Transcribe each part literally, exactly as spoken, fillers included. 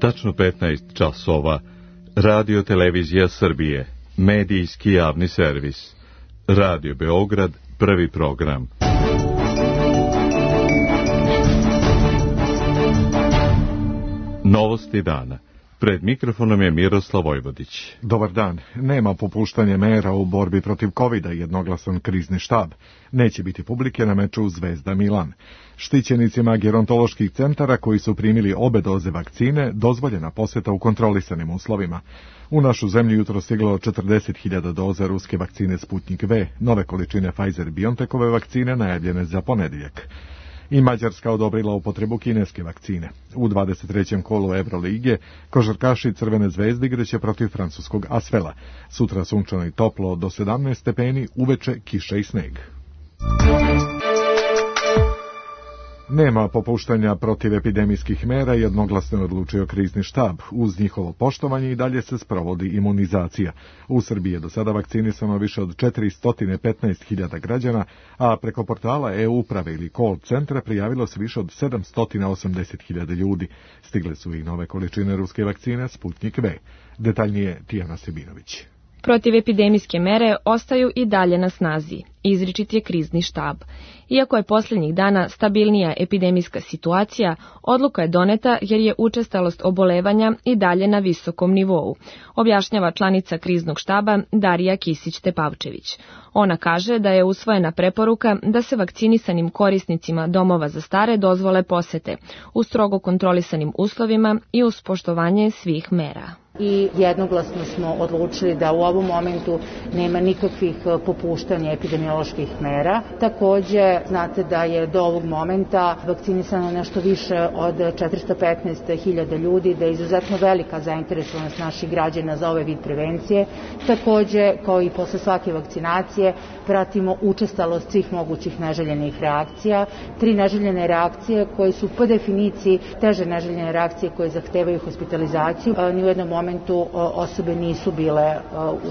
Tačno petnaest časova. Radio Televizija Srbije. Medijski javni servis. Radio Beograd, prvi program. Novosti dana. Pred mikrofonom je Miroslav Vojvodić. Dobar dan. Nema popuštanja mera u borbi protiv kovida, jednoglasan krizni štab. Neće biti publike na meču Zvezda Milan. Štićenicima gerontoloških centara koji su primili obe doze vakcine dozvoljena poseta u kontrolisanim uslovima. U našu zemlju jutro stiglo četrdeset hiljada doza ruske vakcine Sputnik V, nove količine Pfizer-BioNTechove vakcine najavljene za ponedjeljak. I Mađarska odobrila upotrebu kineske vakcine. U dvadeset trećem kolu Evrolige košarkaši Crvene zvezde igraće protiv francuskog Asvela. Sutra sunčano i toplo do sedamnaest stepeni, uveče kiša i sneg. Nema popuštanja protiv epidemijskih mera, jednoglasno odlučio krizni štab. Uz njihovo poštovanje i dalje se sprovodi imunizacija. U Srbiji je do sada vakcinisano više od četiristo petnaest hiljada građana, a preko portala e-uprave ili call centra prijavilo se više od sedamsto osamdeset hiljada ljudi. Stigle su i nove količine ruske vakcine Sputnik V. Detaljnije Tijana Sebinović. Protivepidemijske mere ostaju i dalje na snazi, izričit je krizni štab. Iako je posljednjih dana stabilnija epidemijska situacija, odluka je doneta jer je učestalost obolevanja i dalje na visokom nivou, objašnjava članica kriznog štaba Darija Kisić-Tepavčević. Ona kaže da je usvojena preporuka da se vakcinisanim korisnicima domova za stare dozvole posete u strogo kontrolisanim uslovima i uz poštovanje svih mera. I jednoglasno smo odlučili da u ovom momentu nema nikakvih popuštanja epidemioloških mera. Takođe, znate da je do ovog momenta vakcinisano nešto više od četiristo petnaest hiljada ljudi, da je izuzetno velika zainteresovanost naših građana za ovaj vid prevencije. Takođe, kao i posle svake vakcinacije, pratimo učestalost svih mogućih neželjenih reakcija. Tri neželjene reakcije koje su po definiciji teže neželjene reakcije koje zahtevaju hospitalizaciju. Ni u jednom momentu momentu osobe nisu bile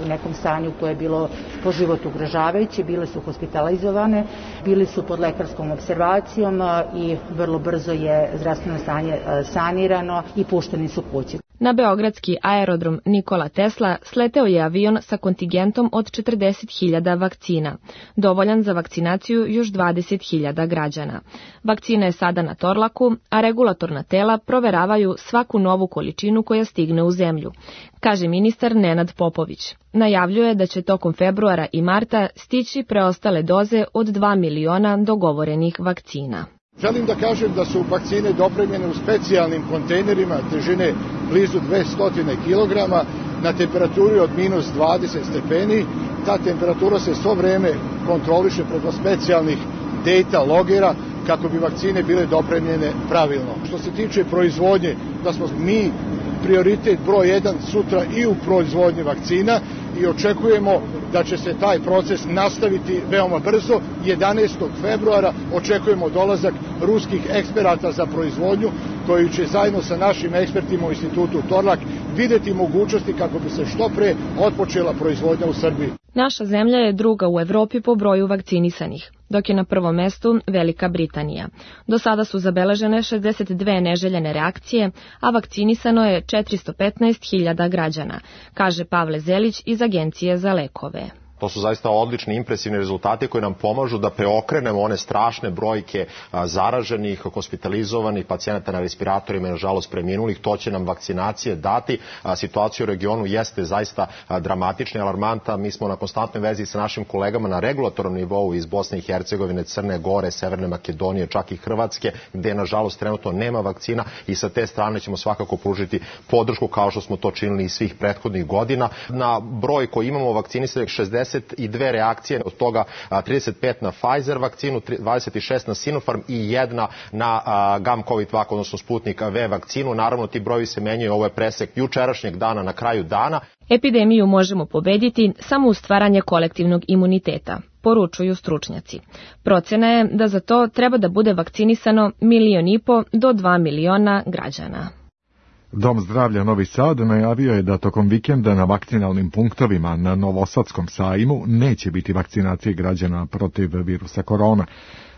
u nekom stanju koje je bilo po život ugrožavajuće, bile su hospitalizovane, bili su pod lekarskom observacijom i vrlo brzo je zdravstveno stanje sanirano i pušteni su kući. Na beogradski aerodrom Nikola Tesla sleteo je avion sa kontingentom od četrdeset hiljada vakcina, dovoljan za vakcinaciju još dvadeset hiljada građana. Vakcina je sada na Torlaku, a regulatorna tela proveravaju svaku novu količinu koja stigne u zemlju, kaže ministar Nenad Popović. Najavljuje da će tokom februara i marta stići preostale doze od dva miliona dogovorenih vakcina. Želim da kažem da su vakcine dopremljene u specijalnim kontejnerima težine blizu dvesta kilograma na temperaturi od minus dvadeset stepeni. Ta temperatura se svo vreme kontroliše preko specijalnih data logera kako bi vakcine bile dopremljene pravilno. Što se tiče proizvodnje, da smo mi prioritet broj jedan sutra i u proizvodnji vakcina i očekujemo da će se taj proces nastaviti veoma brzo. jedanaestog februara očekujemo dolazak ruskih eksperata za proizvodnju koji će zajedno sa našim ekspertima u institutu Torlak videti mogućnosti kako bi se što pre otpočela proizvodnja u Srbiji. Naša zemlja je druga u Evropi po broju vakcinisanih, dok je na prvom mestu Velika Britanija. Do sada su zabeležene šezdeset dve neželjene reakcije, a vakcinisano je četiristo petnaest hiljada građana, kaže Pavle Zelić iz Agencije za lekove. To su zaista odlični, impresivni rezultati koji nam pomažu da preokrenemo one strašne brojke zaraženih, hospitalizovanih, pacijenata na respiratorima i nažalost preminulih. To će nam vakcinacije dati. Situacija u regionu jeste zaista dramatična i alarmanta. Mi smo na konstantnoj vezi sa našim kolegama na regulatornom nivou iz Bosne i Hercegovine, Crne Gore, Severne Makedonije, čak i Hrvatske, gde nažalost trenutno nema vakcina i sa te strane ćemo svakako pružiti podršku kao što smo to činili i svih prethodnih godina. Na broj koji imamo vakcinisanih šezdeset dve reakcije, od toga trideset pet na Pfizer vakcinu, dvadeset šest na Sinopharm i jedna na Gamcovid-Vac, odnosno Sputnik V vakcinu. Naravno, ti brojevi se menjaju, ovo je presek jučerašnjeg dana na kraju dana. Epidemiju možemo pobediti samo uz stvaranje kolektivnog imuniteta, poručuju stručnjaci. Procena je da za to treba da bude vakcinisano milion i po do dva miliona građana. Dom zdravlja Novi Sad najavio je da tokom vikenda na vakcinalnim punktovima na Novosadskom sajmu neće biti vakcinacije građana protiv virusa korona.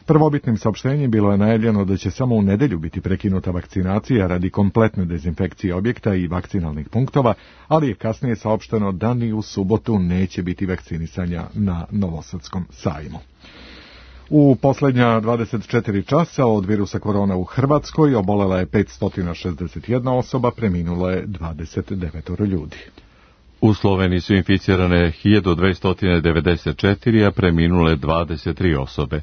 Prvobitnim saopštenjem bilo je najavljeno da će samo u nedelju biti prekinuta vakcinacija radi kompletne dezinfekcije objekta i vakcinalnih punktova, ali je kasnije saopšteno da ni u subotu neće biti vakcinisanja na Novosadskom sajmu. U posljednja dvadeset četiri časa od virusa korona u Hrvatskoj obolela je petsto šezdeset jedna osoba, preminulo je dvadeset devet ljudi. U Sloveniji su inficirane hiljadu dvesta devedeset četiri, a preminule dvadeset tri osobe.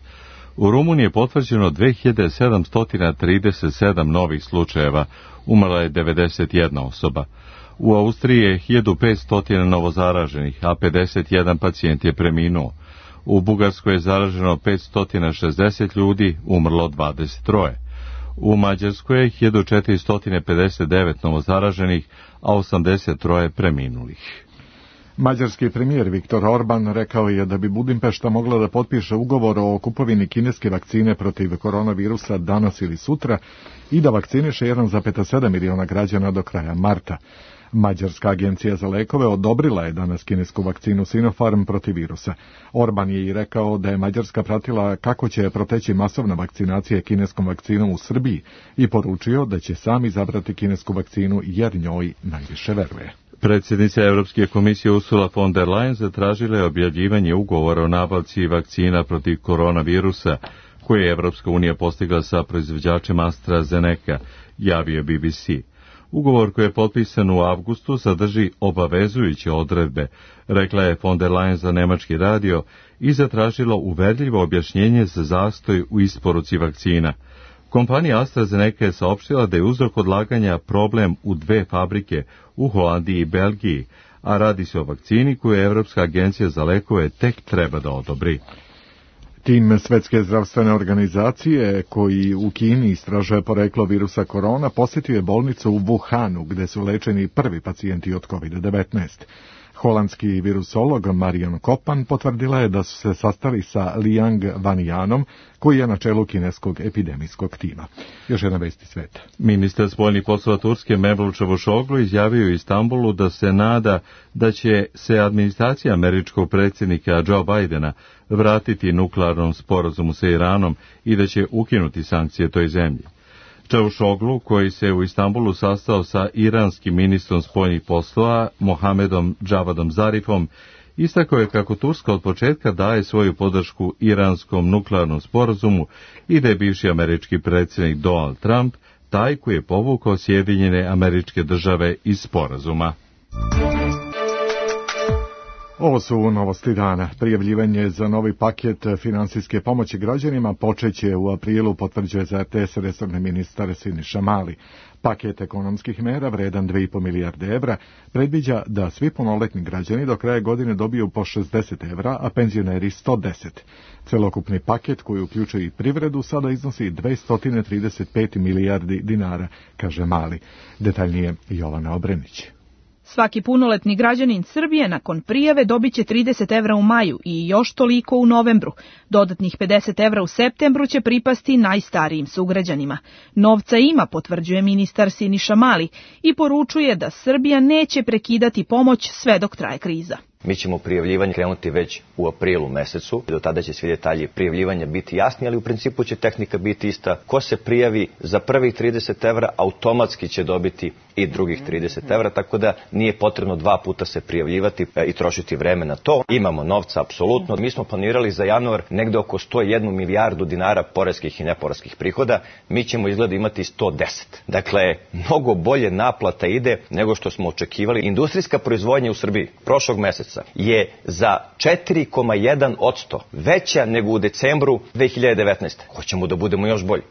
U Rumuniji je potvrđeno dve hiljade sedamsto trideset sedam novih slučajeva, umrla je devedeset jedna osoba. U Austriji je hiljadu petsto novozaraženih, a pedeset jedan pacijent je preminuo. U Bugarskoj je zaraženo petsto šezdeset ljudi, umrlo dvadeset tri. U Mađarskoj je hiljadu četiristo pedeset devet novozaraženih, a osamdeset tri preminulih. Mađarski premijer Viktor Orban rekao je da bi Budimpešta mogla da potpiše ugovor o kupovini kineske vakcine protiv koronavirusa danas ili sutra i da vakciniše jedan zarez sedam miliona građana do kraja marta. Mađarska agencija za lekove odobrila je danas kinesku vakcinu Sinopharm protiv virusa. Orban je i rekao da je Mađarska pratila kako će proteći masovna vakcinacija kineskom vakcinom u Srbiji i poručio da će sam izabrati kinesku vakcinu jer njoj najviše veruje. Predsjednica Europske komisije Ursula von der Leyen zatražila je objavljivanje ugovora o nabavci vakcina protiv koronavirusa koje je Evropska unija postigla sa proizvođačem AstraZeneca, javio B B C. Ugovor koji je potpisan u avgustu sadrži obavezujuće odredbe, rekla je von der Leyen za nemački radio i zatražila uverljivo objašnjenje za zastoj u isporuci vakcina. Kompanija AstraZeneca je saopštila da je uzrok odlaganja problem u dve fabrike u Holandiji i Belgiji, a radi se o vakcini koju Evropska agencija za lekove tek treba da odobri. Tim Svetske zdravstvene organizacije, koji u Kini istražuje poreklo virusa korona, posjetio je bolnicu u Wuhanu, gde su lečeni prvi pacijenti od kovid devetnaest. Holandski virusolog Marion Kopan potvrdila je da su se sastali sa Liang Wanyanom, koji je na čelu kineskog epidemijskog tima. Još jedna vesti sveta. Ministar spoljnih poslova Turske Mevlut Čavuşoglu izjavio u Istanbulu da se nada da će se administracija američkog predsjednika Joe Bidena vratiti nuklearnom sporazumu sa Iranom i da će ukinuti sankcije toj zemlji. Čavuşoglu, koji se u Istanbulu sastao sa iranskim ministrom spoljnih poslova Mohamedom Javadom Zarifom, istakao je kako Turska od početka daje svoju podršku iranskom nuklearnom sporazumu i da je bivši američki predsjednik Donald Trump taj koji je povukao Sjedinjene Američke Države iz sporazuma. Ovo su novosti dana. Prijavljivanje za novi paket finansijske pomoći građanima počeće u aprilu, potvrđuje za R T S resorni ministar Siniša Mali. Paket ekonomskih mera, vredan dve i po milijarde evra, predviđa da svi punoletni građani do kraja godine dobiju po šezdeset evra, a penzioneri sto deset. Celokupni paket, koji uključuje i privredu, sada iznosi dvesta trideset pet milijardi dinara, kaže Mali. Detaljnije Jovana Obrenić. Svaki punoletni građanin Srbije nakon prijave dobit će trideset evra u maju i još toliko u novembru. Dodatnih pedeset evra u septembru će pripasti najstarijim sugrađanima. Novca ima, potvrđuje ministar Siniša Mali i poručuje da Srbija neće prekidati pomoć sve dok traje kriza. Mi ćemo prijavljivanje krenuti već u aprilu mesecu. Do tada će svi detalji prijavljivanja biti jasni, ali u principu će tehnika biti ista. Ko se prijavi za prvih trideset evra, automatski će dobiti i drugih trideset evra, tako da nije potrebno dva puta se prijavljivati i trošiti vreme na to. Imamo novca, apsolutno. Mi smo planirali za januar negde oko sto jednu milijardu dinara poreskih i neporeskih prihoda. Mi ćemo izgleda imati sto deset. Dakle, mnogo bolje naplata ide nego što smo očekivali. Industrijska proizvodnja u Srbiji prošlog meseca je za četiri zarez jedan posto veća nego u decembru dve hiljade devetnaeste. Hoćemo da budemo još bolji.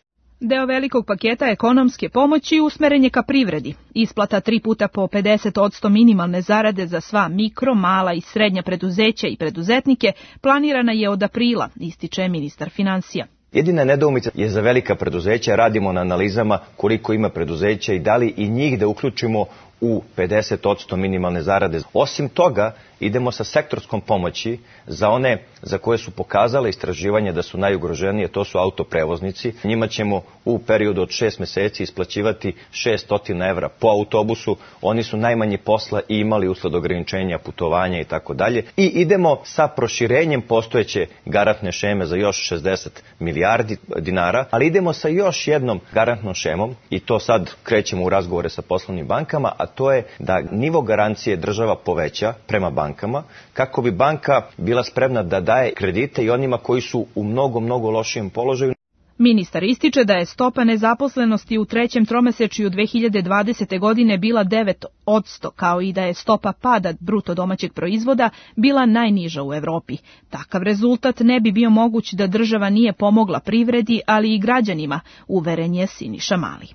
Deo velikog paketa ekonomske pomoći usmeren je ka privredi. Isplata tri puta po pedeset posto minimalne zarade za sva mikro, mala i srednja preduzeća i preduzetnike planirana je od aprila, ističe ministar finansija. Jedina nedoumica je za velika preduzeća, radimo na analizama koliko ima preduzeća i da li i njih da uključimo u pedeset odsto minimalne zarade. Osim toga, idemo sa sektorskom pomoći za one za koje su pokazale istraživanja da su najugroženije, to su autoprevoznici. Njima ćemo u periodu od šest meseci isplaćivati šessto evra po autobusu. Oni su najmanje posla i imali usled ograničenja putovanja i tako dalje. I idemo sa proširenjem postojeće garantne šeme za još šezdeset milijardi dinara, ali idemo sa još jednom garantnom šemom i to sad krećemo u razgovore sa poslovnim bankama, a to je da nivo garancije država poveća prema bankama, kako bi banka bila spremna da daje kredite i onima koji su u mnogo, mnogo lošijem položaju. Ministar ističe da je stopa nezaposlenosti u trećem tromesečju dve hiljade dvadesete. godine bila devet odsto, kao i da je stopa pada bruto domaćeg proizvoda bila najniža u Evropi. Takav rezultat ne bi bio moguć da država nije pomogla privredi, ali i građanima, uveren je Siniša Mali.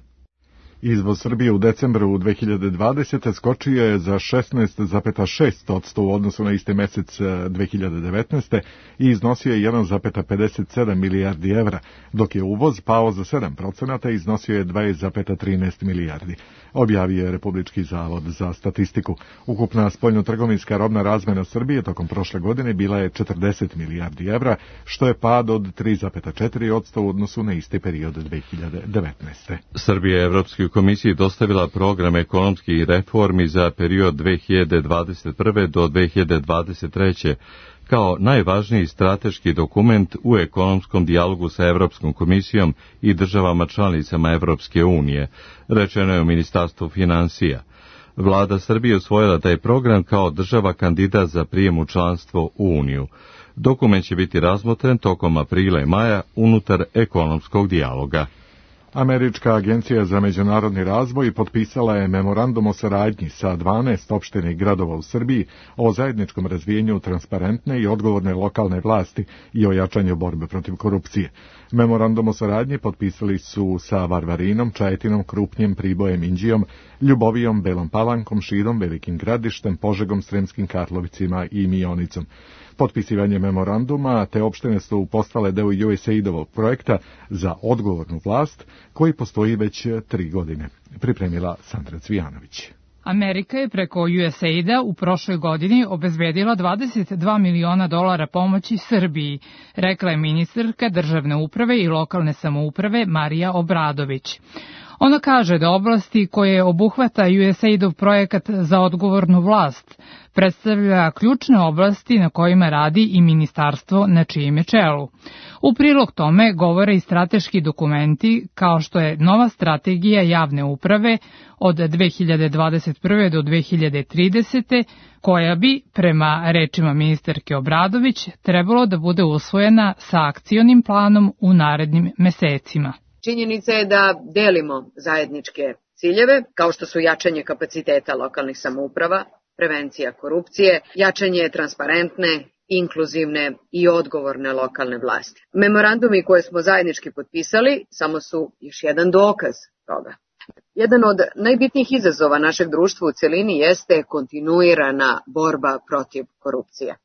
Izvoz Srbije u decembru dve hiljade dvadesete. skočio je za šesnaest zarez šest odsto u odnosu na isti mesec dve hiljade devetnaeste. i iznosio je jedan zarez pedeset sedam milijardi evra, dok je uvoz pao za sedam procenata i iznosio je dvadeset zarez trinaest milijardi. Objavio je Republički zavod za statistiku. Ukupna spoljnotrgovinska robna razmena Srbije tokom prošle godine bila je četrdeset milijardi evra, što je pad od tri zarez četiri odsto u odnosu na isti period dve hiljade devetnaeste. Srbija je Evropskoj komisiji dostavila program ekonomskih reformi za period dve hiljade dvadeset prve. do dve hiljade dvadeset treće. kao najvažniji strateški dokument u ekonomskom dijalogu sa Evropskom komisijom i državama članicama Evropske unije, rečeno je u Ministarstvu finansija. Vlada Srbije usvojila taj program kao država kandidat za prijem u članstvo u Uniju. Dokument će biti razmotren tokom aprila i maja unutar ekonomskog dijaloga. Američka agencija za međunarodni razvoj potpisala je memorandum o saradnji sa dvanaest opština i gradova u Srbiji o zajedničkom razvijenju transparentne i odgovorne lokalne vlasti i o jačanju borbe protiv korupcije. Memorandum o saradnji potpisali su sa Varvarinom, Čajetinom, Krupnjem, Pribojem, Inđijom, Ljubovijom, Belom Palankom, Šidom, Velikim Gradištem, Požegom, Sremskim Karlovicima i Mionicom. Potpisivanje memoranduma te opštine su postale deo U S A I D-ovog projekta za odgovornu vlast koji postoji već tri godine. Pripremila Sandra Cvijanović. Amerika je preko U S A I D-a u prošloj godini obezbedila dvadeset dva miliona dolara pomoći Srbiji, rekla je ministarka državne uprave i lokalne samouprave Marija Obradović. Ona kaže da oblasti koje obuhvata U S A I D-ov projekat za odgovornu vlast predstavlja ključne oblasti na kojima radi i ministarstvo na čijem je čelu. U prilog tome govore i strateški dokumenti kao što je nova strategija javne uprave od dve hiljade dvadeset prve. do dve hiljade tridesete. koja bi, prema rečima ministarke Obradović, trebalo da bude usvojena sa akcionim planom u narednim mesecima. Činjenica je da delimo zajedničke ciljeve, kao što su jačanje kapaciteta lokalnih samouprava, prevencija korupcije, jačanje transparentne, inkluzivne i odgovorne lokalne vlasti. Memorandumi koje smo zajednički potpisali samo su još jedan dokaz toga. Jedan od najbitnijih izazova našeg društva u celini jeste kontinuirana borba protiv korupcije.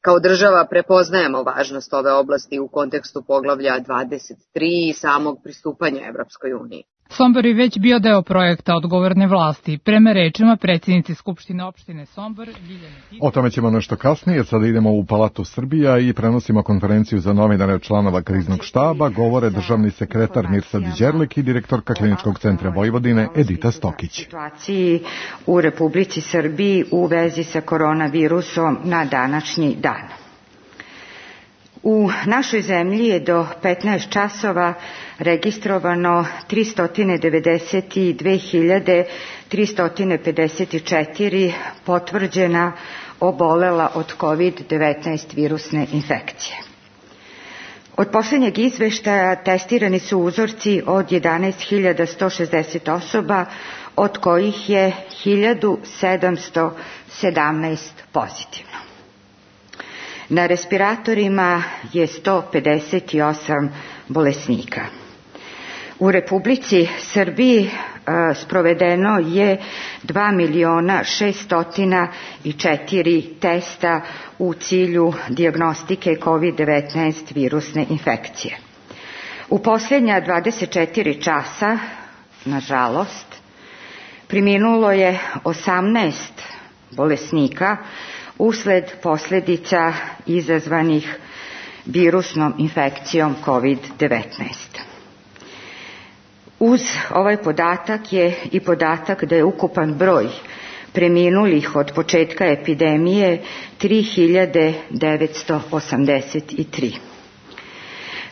Kao država prepoznajemo važnost ove oblasti u kontekstu poglavlja dvadeset tri i samog pristupanja Evropskoj uniji. Sombor je već bio deo projekta odgovorne vlasti, prema rečima predsjednice Skupštine opštine Sombor, Ljiljane Tice. O tome ćemo nešto kasnije, sada idemo u Palatu Srbija i prenosimo konferenciju za novinare članova kriznog štaba, govore državni sekretar Mirsad Đerlik i direktorka Kliničkog centra Vojvodine Edita Stokić. Situaciji u Republici Srbiji u vezi sa koronavirusom na današnji dan. U našoj zemlji je do petnaest časova registrovano tristo devedeset dve hiljade tristo pedeset četiri potvrđena obolela od kovid devetnaest virusne infekcije. Od posljednjeg izveštaja testirani su uzorci od jedanaest hiljada sto šezdeset osoba, od kojih je hiljadu sedamsto sedamnaest pozitivno. Na respiratorima je sto pedeset osam bolesnika. U Republici Srbiji a, sprovedeno je dva miliona šesto četiri testa u cilju dijagnostike kovid devetnaest virusne infekcije. U posljednja dvadeset četiri časa, nažalost, Preminulo je osamnaest bolesnika usled posljedica izazvanih virusnom infekcijom kovid devetnaest. Uz ovaj podatak je i podatak da je ukupan broj preminulih od početka epidemije tri hiljade devetsto osamdeset tri.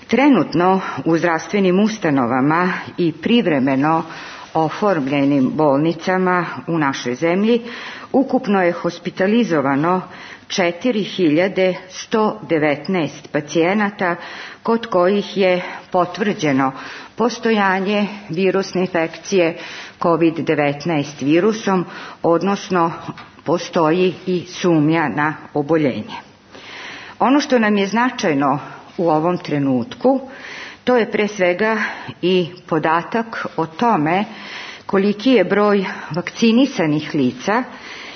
Trenutno u zdravstvenim ustanovama i privremeno oformljenim bolnicama u našoj zemlji ukupno je hospitalizovano četiri hiljade sto devetnaest pacijenata kod kojih je potvrđeno postojanje virusne infekcije kovid devetnaest virusom, odnosno postoji i sumnja na oboljenje. Ono što nam je značajno u ovom trenutku, to je pre svega i podatak o tome koliki je broj vakcinisanih lica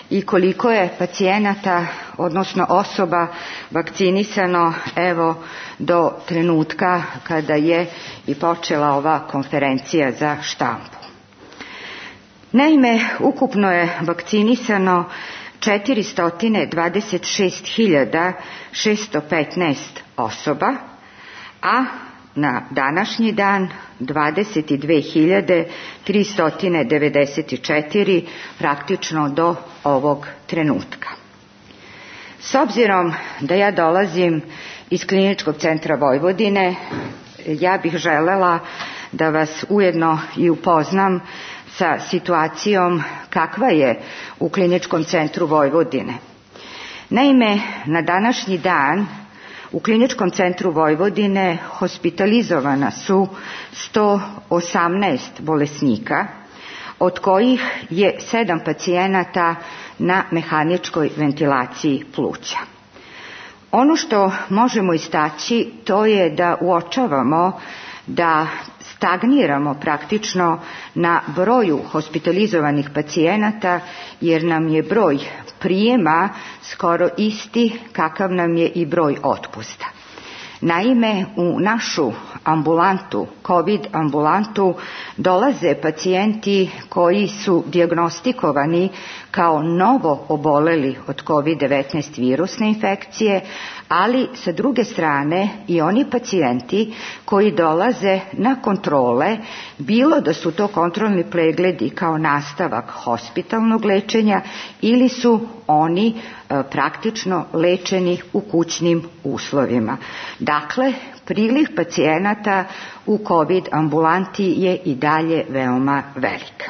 i koliko je pacijenata, odnosno osoba vakcinisano evo do trenutka kada je i počela ova konferencija za štampu. Naime, ukupno je vakcinisano četiristo dvadeset šest hiljada šesto petnaest osoba, a na današnji dan dvadeset dve hiljade tristo devedeset četiri praktično do ovog trenutka. S obzirom da ja dolazim iz Kliničkog centra Vojvodine, ja bih želela da vas ujedno i upoznam sa situacijom kakva je u Kliničkom centru Vojvodine. Naime, na današnji dan u Kliničkom centru Vojvodine hospitalizovana su sto osamnaest bolesnika, od kojih je sedam pacijenata na mehaničkoj ventilaciji pluća. Ono što možemo istaći to je da uočavamo da stagniramo praktično na broju hospitalizovanih pacijenata, jer nam je broj prijema skoro isti kakav nam je i broj otpusta. Naime, u našu ambulantu, COVID ambulantu, dolaze pacijenti koji su dijagnostikovani kao novo oboleli od kovid devetnaest virusne infekcije, ali sa druge strane i oni pacijenti koji dolaze na kontrole, bilo da su to kontrolni pregledi kao nastavak hospitalnog lečenja ili su oni e, praktično lečeni u kućnim uslovima. Dakle, priliv pacijenata u COVID ambulanti je i dalje veoma velik.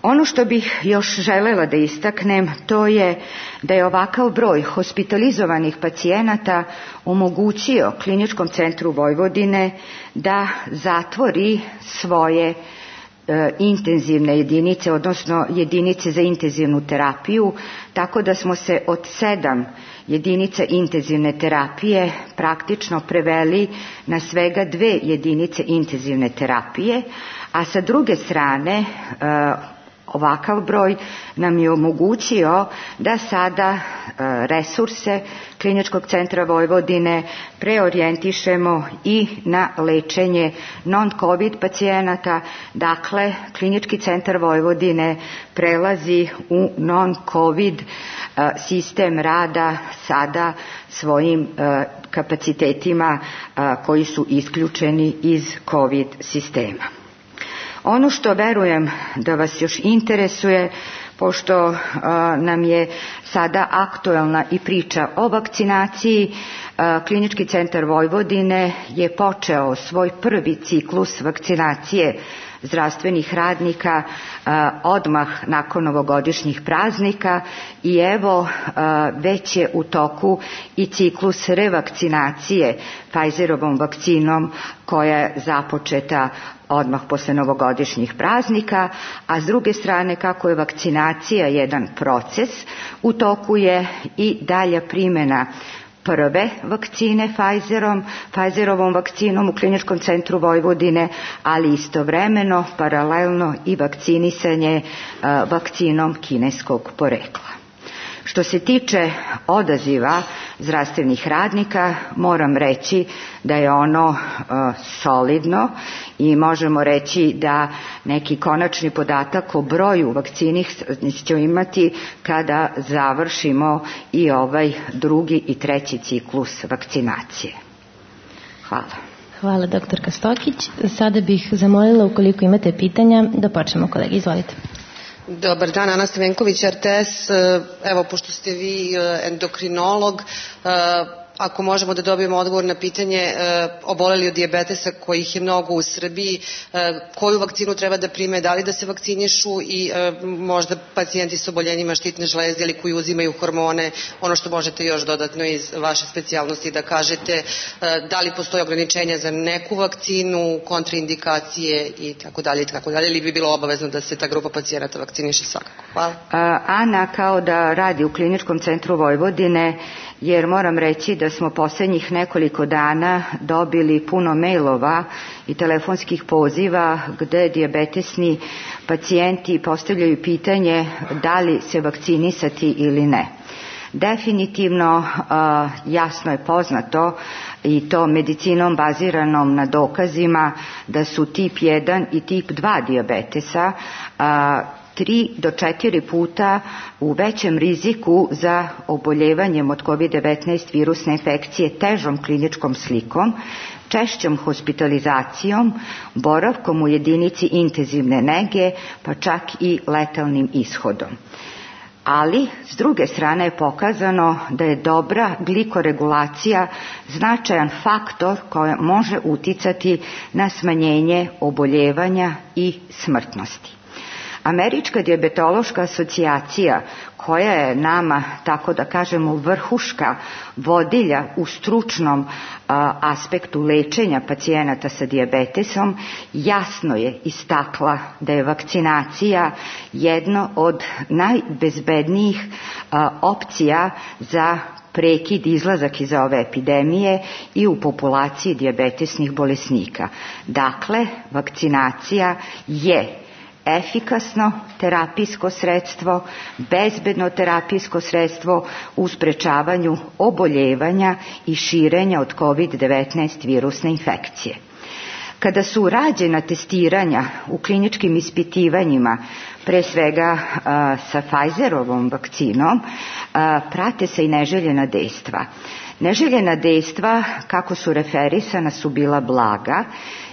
Ono što bih još želela da istaknem, to je da je ovakav broj hospitalizovanih pacijenata omogućio Kliničkom centru Vojvodine da zatvori svoje e, intenzivne jedinice, odnosno jedinice za intenzivnu terapiju, tako da smo se od sedam jedinica intenzivne terapije praktično preveli na svega dve jedinice intenzivne terapije, a sa druge strane e, ovakav broj nam je omogućio da sada resurse Kliničkog centra Vojvodine preorijentišemo i na lečenje non-COVID pacijenata. Dakle, Klinički centar Vojvodine prelazi u non-COVID sistem rada sada svojim kapacitetima koji su isključeni iz COVID sistema. Ono što verujem da vas još interesuje, pošto uh, nam je sada aktuelna i priča o vakcinaciji, uh, Klinički centar Vojvodine je počeo svoj prvi ciklus vakcinacije zdravstvenih radnika uh, odmah nakon novogodišnjih praznika i evo uh, već je u toku i ciklus revakcinacije Pfizerovom vakcinom koja je započeta odmah posle novogodišnjih praznika, a s druge strane kako je vakcinacija jedan proces, u toku je i dalja primjena prve vakcine Pfizerom, Pfizerovom vakcinom u Kliničkom centru Vojvodine, ali istovremeno, paralelno i vakcinisanje uh, vakcinom kineskog porekla. Što se tiče odaziva zdravstvenih radnika, moram reći da je ono uh, solidno i možemo reći da neki konačni podatak o broju vakcinih ćemo imati kada završimo i ovaj drugi i treći ciklus vakcinacije. Hvala. Hvala, doktorka Stokić. Sada bih zamolila, ukoliko imate pitanja, da počnemo, kolegi. Izvolite. Dobar dan, Ana Stavenković, R T S. Evo, pošto ste vi endokrinolog, ako možemo da dobijemo odgovor na pitanje oboleli od dijabetesa kojih je mnogo u Srbiji, koju vakcinu treba da prime, da li da se vakcinišu i možda pacijenti s oboljenjima štitne žlezde ili koji uzimaju hormone, ono što možete još dodatno iz vaše specijalnosti da kažete, da li postoje ograničenja za neku vakcinu, kontraindikacije i tako dalje i tako dalje, ili bi bilo obavezno da se ta grupa pacijenata vakciniše svakako. Hvala. Ana kao da radi u Kliničkom centru Vojvodine, jer moram reći da smo posljednjih nekoliko dana dobili puno mailova i telefonskih poziva gde dijabetesni pacijenti postavljaju pitanje da li se vakcinisati ili ne. Definitivno jasno je poznato i to medicinom baziranom na dokazima da su tip jedan i tip dva dijabetesa tri do četiri puta u većem riziku za oboljevanjem od kovid devetnaest virusne infekcije težom kliničkom slikom, češćom hospitalizacijom, boravkom u jedinici intenzivne nege, pa čak i letalnim ishodom. Ali, s druge strane je pokazano da je dobra glikoregulacija značajan faktor koji može uticati na smanjenje oboljevanja i smrtnosti. Američka dijabetološka asocijacija, koja je nama, tako da kažemo, vrhuška vodilja u stručnom a, aspektu lečenja pacijenata sa dijabetesom, jasno je istakla da je vakcinacija jedno od najbezbednijih a, opcija za prekid izlazak iz ove epidemije i u populaciji dijabetesnih bolesnika. Dakle, vakcinacija je efikasno terapijsko sredstvo, bezbedno terapijsko sredstvo u sprečavanju oboljevanja i širenja od kovid devetnaest virusne infekcije. Kada su rađena testiranja u kliničkim ispitivanjima, pre svega a, sa Pfizerovom vakcinom, a, prate se i neželjena dejstva. Neželjena dejstva, kako su referisana, su bila blaga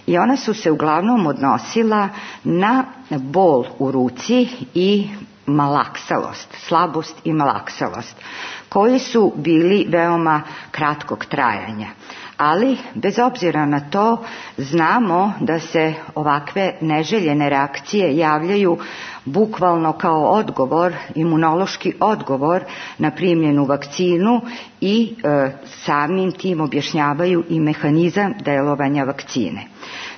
i ona su se uglavnom odnosila na bol u ruci i malaksalost, slabost i malaksalost, koji su bili veoma kratkog trajanja. Ali, bez obzira na to, znamo da se ovakve neželjene reakcije javljaju bukvalno kao odgovor, imunološki odgovor na primljenu vakcinu i e, samim tim objašnjavaju i mehanizam delovanja vakcine.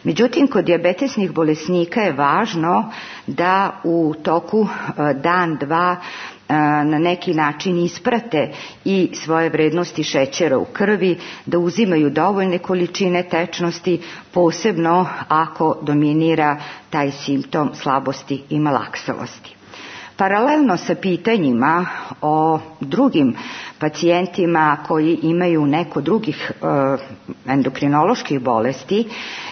Međutim, kod dijabetesnih bolesnika je važno da u toku e, dan, dva, na neki način isprate i svoje vrednosti šećera u krvi, da uzimaju dovoljne količine tečnosti, posebno ako dominira taj simptom slabosti i malaksalosti. Paralelno sa pitanjima o drugim pacijentima koji imaju neko drugih e, endokrinoloških bolesti,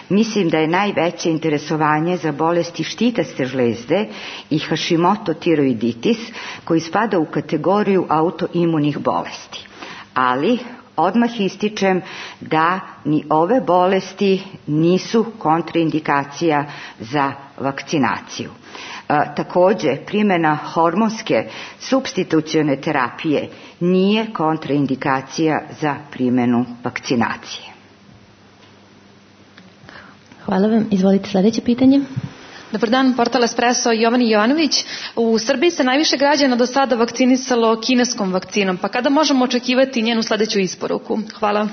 mislim da je najveće interesovanje za bolesti štitaste žlezde i Hashimoto tiroiditis, koji spada u kategoriju autoimunih bolesti. Ali odmah ističem da ni ove bolesti nisu kontraindikacija za vakcinaciju. E, takođe, primjena hormonske supstitucione terapije nije kontraindikacija za primjenu vakcinacije. Hvala vam. Izvolite sledeće pitanje. Dobar dan, portal Espresso, Jovani Jovanović. U Srbiji se najviše građana do sada vakcinisalo kineskom vakcinom, pa kada možemo očekivati njenu sledeću isporuku? Hvala.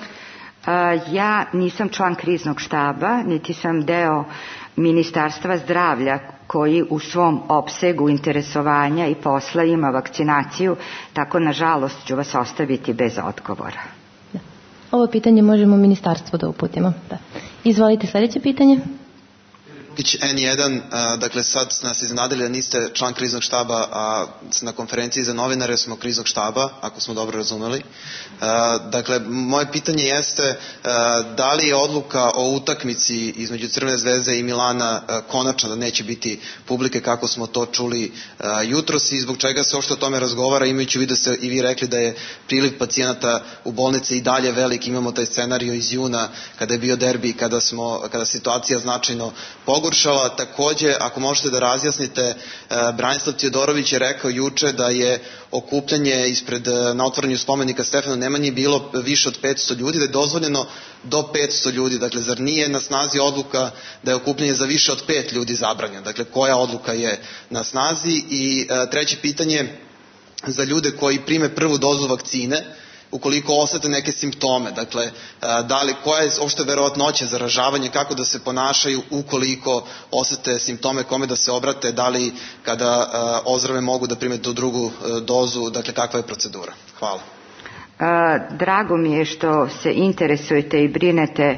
A, ja nisam član kriznog štaba, niti sam deo Ministarstva zdravlja koji u svom opsegu interesovanja i posla ima vakcinaciju, tako nažalost ću vas ostaviti bez odgovora. Da. Ovo pitanje možemo ministarstvu da uputimo. Da. Izvolite sledeće pitanje. en jedan, dakle sad nas iznenadili da niste član kriznog štaba, a na konferenciji za novinare smo kriznog štaba, ako smo dobro razumeli. Dakle, moje pitanje jeste da li je odluka o utakmici između Crvene zvezde i Milana konačna, da neće biti publike kako smo to čuli jutros, i zbog čega se uopšte o tome razgovara, imajući u vidu da ste i vi rekli da je priliv pacijenata u bolnici i dalje velik. Imamo taj scenario iz juna kada je bio derbi, kada smo, kada situacija značajno pogoršala. Takođe, ako možete da razjasnite, Branislav Tijodorović je rekao juče da je okupljanje ispred, na otvaranju spomenika Stefanu Nemanji bilo više od petsto ljudi, da je dozvoljeno do petsto ljudi. Dakle, zar nije na snazi odluka da je okupljanje za više od pet ljudi zabranjeno? Dakle, koja odluka je na snazi? I treće pitanje za ljude koji prime prvu dozu vakcine, ukoliko osete neke simptome, dakle, da li, koja je uopšte verovatnoća zaražavanja, kako da se ponašaju ukoliko osete simptome, kome da se obrate, da li kada ozdrave mogu da prime tu drugu dozu, dakle, kakva je procedura? Hvala. Drago mi je što se interesujete i brinete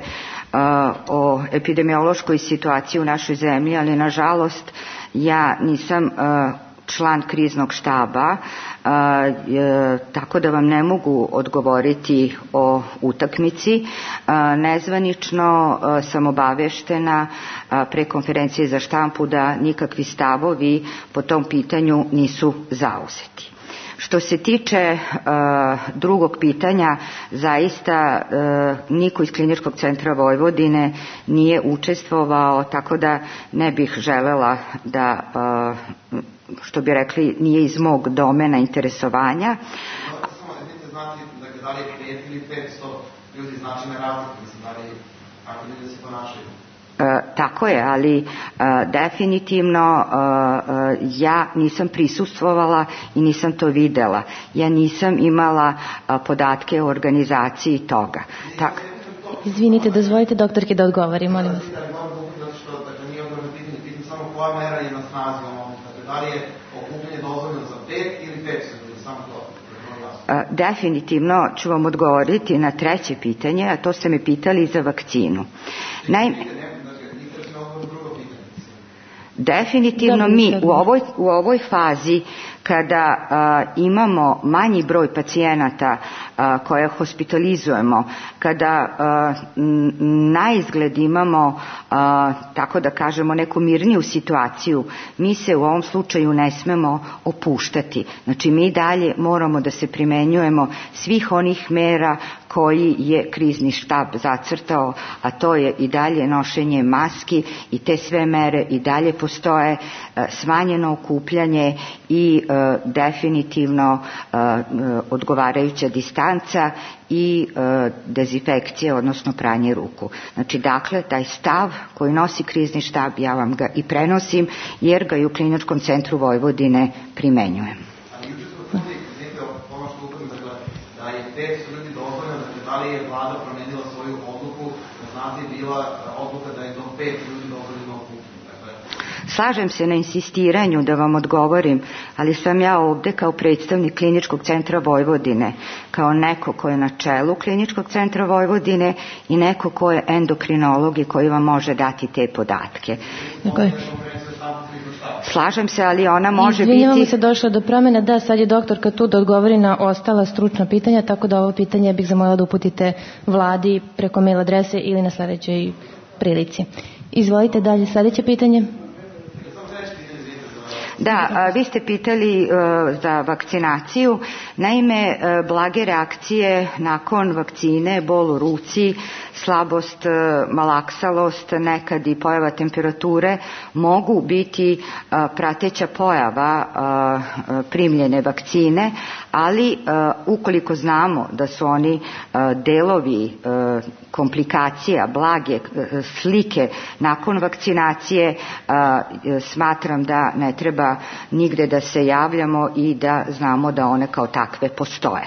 o epidemiološkoj situaciji u našoj zemlji, ali nažalost ja nisam član kriznog štaba, tako da vam ne mogu odgovoriti o utakmici. Nezvanično sam obaveštena pre konferencije za štampu da nikakvi stavovi po tom pitanju nisu zauzeti. Što se tiče uh, drugog pitanja, zaista uh, niko iz Kliničkog centra Vojvodine nije učestvovao, tako da ne bih želela da, uh, što bi rekli, nije iz mog domena interesovanja. Znači, da li je pet ili petsto ljudi značajne razlike, mislim, da li kako ljudi se ponašaju? E, tako je, ali e, definitivno e, e, ja nisam prisustvovala i nisam to videla. Ja nisam imala e, podatke o organizaciji toga. Tak. Izvinite, dozvolite doktorke da odgovori, molim vas. Zato što, dakle, nije odgovor na pitanje, pitanje samo koja mera je na snazi u ovom. Dakle, da li je okupljanje dozvoljeno za pet ili petsto ljudi, samo to. Definitivno ću vam odgovoriti na treće pitanje, a to ste me pitali za vakcinu. Naime, definitivno mi u ovoj, u ovoj fazi kada a, imamo manji broj pacijenata a, koje hospitalizujemo, kada a, na izgled imamo, a, tako da kažemo, neku mirniju situaciju, mi se u ovom slučaju ne smemo opuštati. Znači, mi dalje moramo da se primenjujemo svih onih mera koji je krizni štab zacrtao, a to je i dalje nošenje maski i te sve mere i dalje postoje, smanjeno okupljanje i e, definitivno e, odgovarajuća distanca i e, dezinfekcija, odnosno pranje ruku. Znači, dakle, taj stav koji nosi krizni štab, ja vam ga i prenosim, jer ga i u Kliničkom centru Vojvodine primenjujem. Da je petsto ljudi dozvoljeno, znači da li je vlada promenila svoju odluku, da znate bila odluka da je do pet ljudi dozvoljeno okupljeno. Slažem se na insistiranju da vam odgovorim, ali sam ja ovde kao predstavnik Kliničkog centra Vojvodine, kao neko ko je na čelu Kliničkog centra Vojvodine i neko ko je endokrinolog i koji vam može dati te podatke. Dakle, slažem se, ali ona može biti... Izvinjamo se, došlo do promjena. Da, sad je doktorka tu da odgovori na ostala stručna pitanja, tako da ovo pitanje bih zamolila da uputite vladi preko mail adrese ili na sledećoj prilici. Izvolite dalje, sledeće pitanje. Da, vi ste pitali za vakcinaciju. Naime, blage reakcije nakon vakcine, bol u ruci, slabost, malaksalost, nekad i pojava temperature mogu biti prateća pojava primljene vakcine, ali ukoliko znamo da su oni delovi komplikacija, blage slike nakon vakcinacije, smatram da ne treba nigde da se javljamo i da znamo da one kao takve postoje.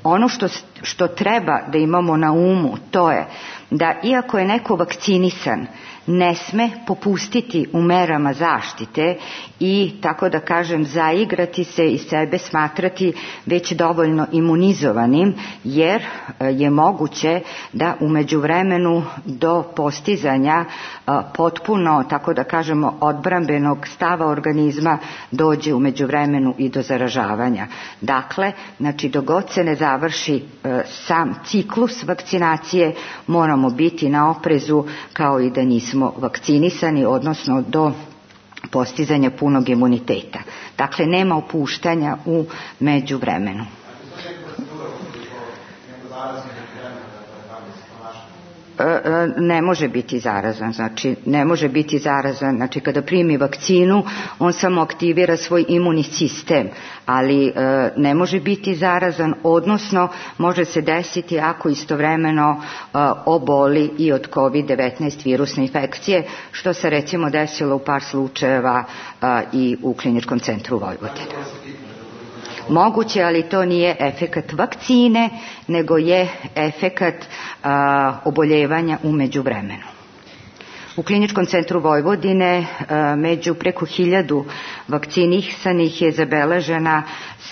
Ono što, što treba da imamo na umu, to je da iako je neko vakcinisan, ne sme popustiti u merama zaštite i, tako da kažem, zaigrati se i sebe smatrati već dovoljno imunizovanim, jer je moguće da u međuvremenu do postizanja potpuno, tako da kažemo, odbrambenog stava organizma dođe u međuvremenu i do zaražavanja. Dakle, znači, dogod se ne završi sam ciklus vakcinacije, moramo biti na oprezu kao i da nismo vakcinisani, odnosno do postizanja punog imuniteta. Dakle, nema opuštanja u međuvremenu. Ne može biti zarazan, znači ne može biti zarazan, znači kada primi vakcinu on samo aktivira svoj imunni sistem, ali e, ne može biti zarazan, odnosno može se desiti ako istovremeno e, oboli i od kovid devetnaest virusne infekcije, što se recimo desilo u par slučajeva e, i u Kliničkom centru Vojvodine. Moguće, ali to nije efekat vakcine, nego je efekat a, oboljevanja u međuvremenu. U Kliničkom centru Vojvodine a, među preko hiljadu vakcinisanih je zabeležena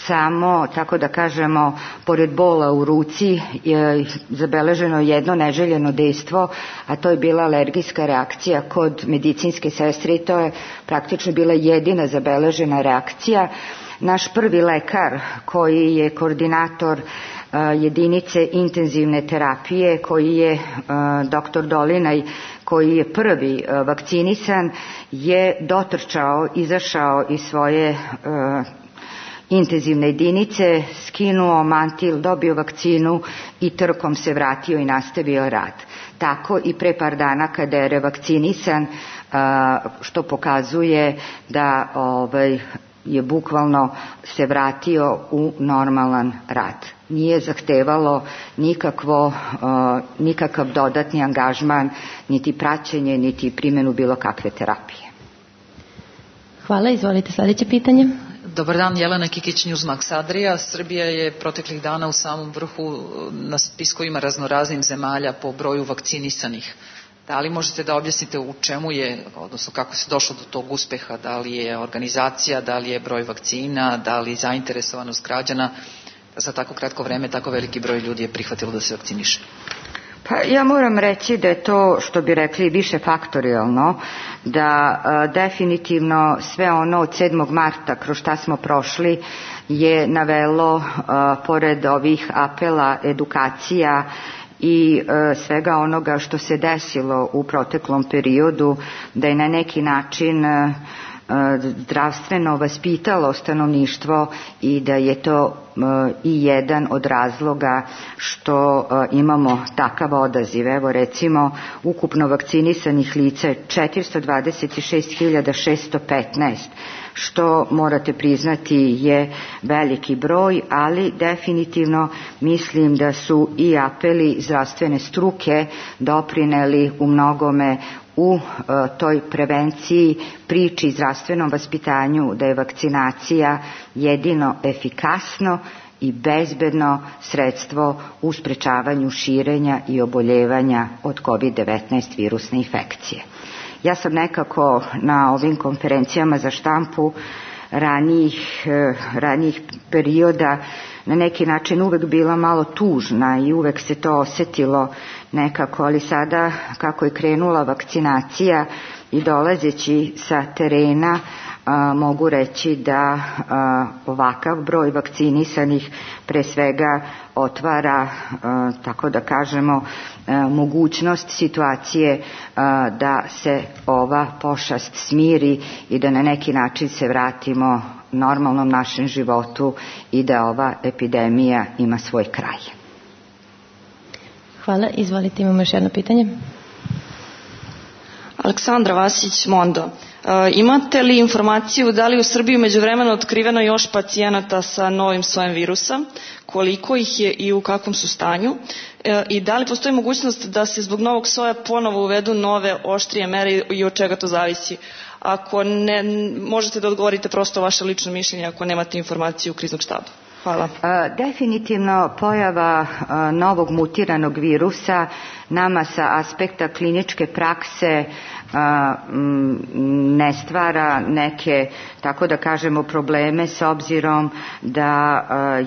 samo, tako da kažemo, pored bola u ruci je zabeleženo jedno neželjeno dejstvo, a to je bila alergijska reakcija kod medicinske sestre i to je praktično bila jedina zabeležena reakcija. Naš prvi lekar, koji je koordinator uh, jedinice intenzivne terapije, koji je uh, doktor Dolinaj, koji je prvi uh, vakcinisan, je dotrčao, izašao iz svoje uh, intenzivne jedinice, skinuo mantil, dobio vakcinu i trkom se vratio i nastavio rad. Tako i pre par dana kada je revakcinisan, uh, što pokazuje da ovaj, je bukvalno se vratio u normalan rad. Nije zahtevalo nikakvo, uh, nikakav dodatni angažman, niti praćenje, niti primjenu bilo kakve terapije. Hvala, izvolite sljedeće pitanje. Dobar dan, Jelena Kikić, Newsmax Adria. Srbija je proteklih dana u samom vrhu na spiskovima raznoraznih zemalja po broju vakcinisanih. Da li možete da objasnite u čemu je, odnosno kako se došlo do tog uspeha, da li je organizacija, da li je broj vakcina, da li zainteresovanost građana, da za tako kratko vreme tako veliki broj ljudi je prihvatilo da se vakciniše? Pa ja moram reći da je to, što bi rekli, više faktorijalno, da a, definitivno sve ono od sedmog marta kroz šta smo prošli je navelo, a, pored ovih apela, edukacija i e, svega onoga što se desilo u proteklom periodu, da je na neki način e, zdravstveno vaspitalo stanovništvo i da je to e, i jedan od razloga što e, imamo takav odaziv. Evo recimo, ukupno vakcinisanih lica je četiristo dvadeset šest hiljada šesto petnaest, što morate priznati je veliki broj, ali definitivno mislim da su i apeli zdravstvene struke doprineli u mnogome u e, toj prevenciji, priči, zdravstvenom vaspitanju da je vakcinacija jedino efikasno i bezbedno sredstvo u sprečavanju širenja i oboljevanja od kovid devetnaest virusne infekcije. Ja sam nekako na ovim konferencijama za štampu ranijih, ranijih perioda na neki način uvek bila malo tužna i uvek se to osetilo nekako, ali sada kako je krenula vakcinacija i dolazeći sa terena, a, mogu reći da a, ovakav broj vakcinisanih pre svega otvara, a, tako da kažemo, a, mogućnost situacije a, da se ova pošast smiri i da na neki način se vratimo normalnom našem životu i da ova epidemija ima svoj kraj. Hvala, izvolite, imamo još jedno pitanje. Aleksandra Vasić, Mondo. E, imate li informaciju da li u Srbiji međuvremeno otkriveno još pacijenata sa novim sojem virusa, koliko ih je i u kakvom su stanju, e, i da li postoji mogućnost da se zbog novog soja ponovo uvedu nove oštrije mere i od čega to zavisi? Ako ne, možete da odgovorite prosto vaše lično mišljenje ako nemate informaciju kriznog štaba. Hvala. Definitivno pojava novog mutiranog virusa nama sa aspekta kliničke prakse ne stvara neke, tako da kažemo, probleme s obzirom da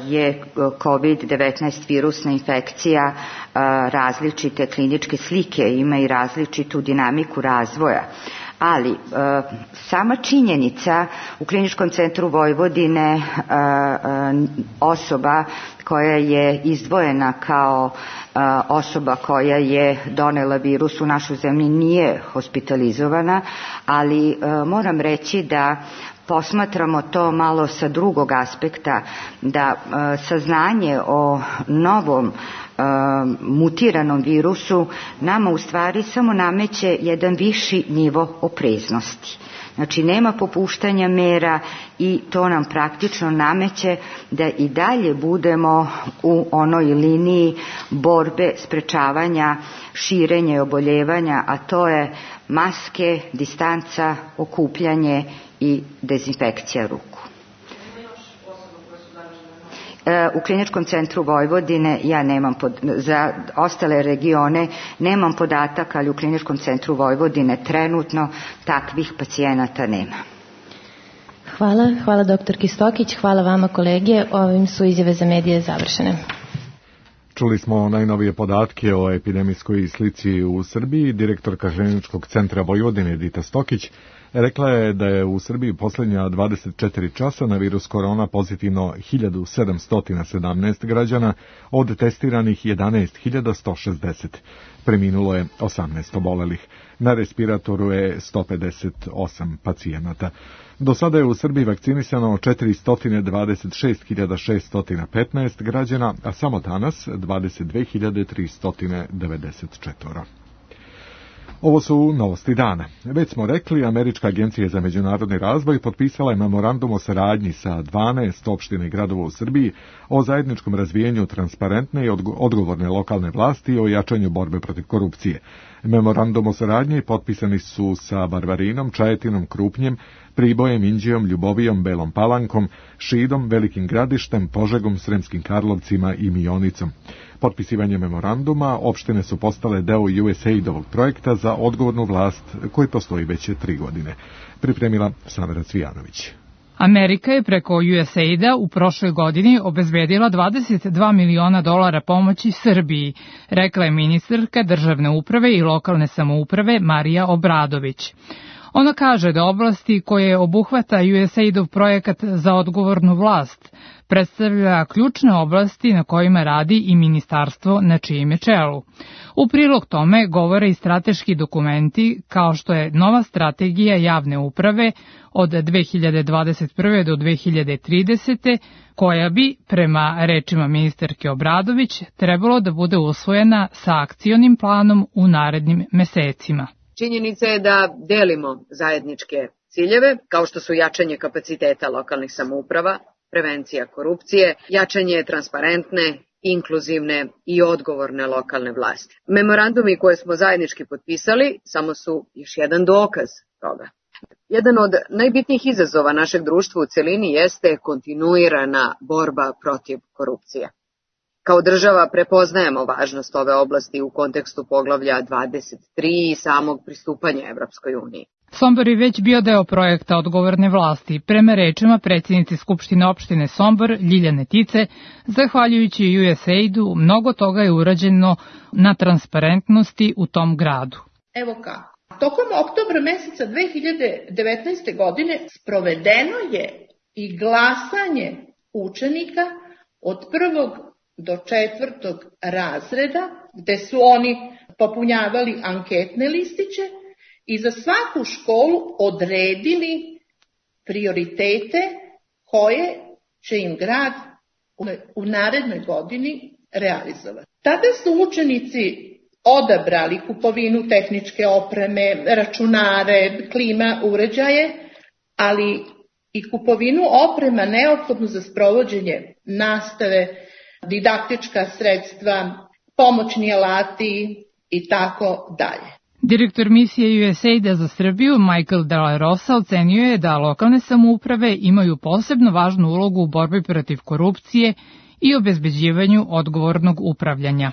je kovid devetnaest virusna infekcija različite kliničke slike, ima i različitu dinamiku razvoja. Ali e, sama činjenica u Kliničkom centru Vojvodine e, e, osoba koja je izdvojena kao e, osoba koja je donela virus u našu zemlju nije hospitalizovana, ali e, moram reći da posmatramo to malo sa drugog aspekta, da e, saznanje o novom mutiranom virusu nama u stvari samo nameće jedan viši nivo opreznosti. Znači nema popuštanja mera i to nam praktično nameće da i dalje budemo u onoj liniji borbe sprečavanja širenja i oboljevanja, a to je maske, distanca, okupljanje i dezinfekcija ruku. U Kliničkom centru Vojvodine ja nemam pod, za ostale regione nemam podataka, ali u Kliničkom centru Vojvodine trenutno takvih pacijenata nema. Hvala, hvala doktorki Stokić, hvala vama kolege, ovim su izjave za medije završene. Čuli smo najnovije podatke o epidemijskoj slici u Srbiji. Direktorka Kliničkog centra Vojvodine Edita Stokić rekla je da je u Srbiji posljednja dvadeset četiri časa na virus korona pozitivno hiljadu sedamsto sedamnaest građana, od testiranih jedanaest hiljada sto šezdeset. Preminulo je osamnaest obolelih. Na respiratoru je sto pedeset osam pacijenata. Do sada je u Srbiji vakcinisano četiristo dvadeset šest hiljada šeststo petnaest građana, a samo danas dvadeset dve hiljade tristo devedeset četiri. Ovo su novosti dana. Već smo rekli, Američka agencija za međunarodni razvoj potpisala je memorandum o saradnji sa dvanaest opština i gradova u Srbiji o zajedničkom razvijenju transparentne i odgovorne lokalne vlasti i o jačanju borbe protiv korupcije. Memorandum o saradnji potpisani su sa Varvarinom, Čajetinom, Krupnjem, Pribojem, Inđijom, Ljubovijom, Belom Palankom, Šidom, Velikim Gradištem, Požegom, Sremskim Karlovcima i Mionicom. Potpisivanje memoranduma opštine su postale deo U S A I D-ovog projekta za odgovornu vlast koji postoji već tri godine. Pripremila Samira Cvijanović. Amerika je preko U S A I D-a u prošloj godini obezbedila dvadeset dva miliona dolara pomoći Srbiji, rekla je ministarka državne uprave i lokalne samouprave Marija Obradović. Ona kaže da oblasti koje obuhvata U S A I D-ov projekat za odgovornu vlast predstavlja ključne oblasti na kojima radi i ministarstvo na čijem je čelu. U prilog tome govore i strateški dokumenti kao što je nova strategija javne uprave od dve hiljade dvadeset prve do dve hiljade tridesete koja bi, prema rečima ministarke Obradović, trebalo da bude usvojena sa akcionim planom u narednim mesecima. Činjenica je da delimo zajedničke ciljeve, kao što su jačanje kapaciteta lokalnih samouprava, prevencija korupcije, jačanje transparentne, inkluzivne i odgovorne lokalne vlasti. Memorandumi koje smo zajednički potpisali samo su još jedan dokaz toga. Jedan od najbitnijih izazova našeg društva u celini jeste kontinuirana borba protiv korupcije. Kao država prepoznajemo važnost ove oblasti u kontekstu poglavlja dvadeset tri i samog pristupanja Evropskoj uniji. Sombor je već bio deo projekta odgovorne vlasti. Prema rečima predsjednice Skupštine opštine Sombor, Ljiljane Tice, zahvaljujući U S A I D-u, mnogo toga je urađeno na transparentnosti u tom gradu. Evo kako. Tokom oktobra meseca dve hiljade devetnaeste. godine sprovedeno je i glasanje učenika od prvog do četvrtog razreda, gde su oni popunjavali anketne listiće i za svaku školu odredili prioritete koje će im grad u narednoj godini realizovati. Tada su učenici odabrali kupovinu tehničke opreme, računare, klima uređaje, ali i kupovinu oprema neophodnu za sprovođenje nastave, didaktička sredstva, pomoćni alati i tako dalje. Direktor misije U S A I D-a za Srbiju, Michael De La Rosa, ocenio je da lokalne samouprave imaju posebno važnu ulogu u borbi protiv korupcije i obezbeđivanju odgovornog upravljanja.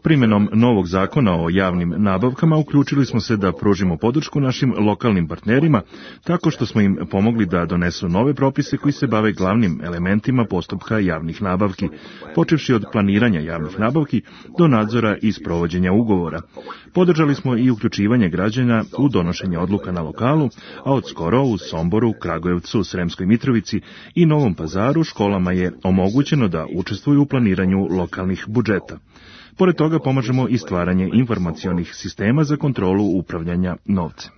Primjenom novog zakona o javnim nabavkama uključili smo se da pružimo podršku našim lokalnim partnerima tako što smo im pomogli da donesu nove propise koji se bave glavnim elementima postupka javnih nabavki, počevši od planiranja javnih nabavki do nadzora i sprovođenja ugovora. Podržali smo i uključivanje građana u donošenje odluka na lokalu, a od skoro u Somboru, Kragujevcu, Sremskoj Mitrovici i Novom Pazaru školama je omogućeno da učestvuju u planiranju lokalnih budžeta. Pored toga pomažemo i stvaranje informacionih sistema za kontrolu upravljanja novcem.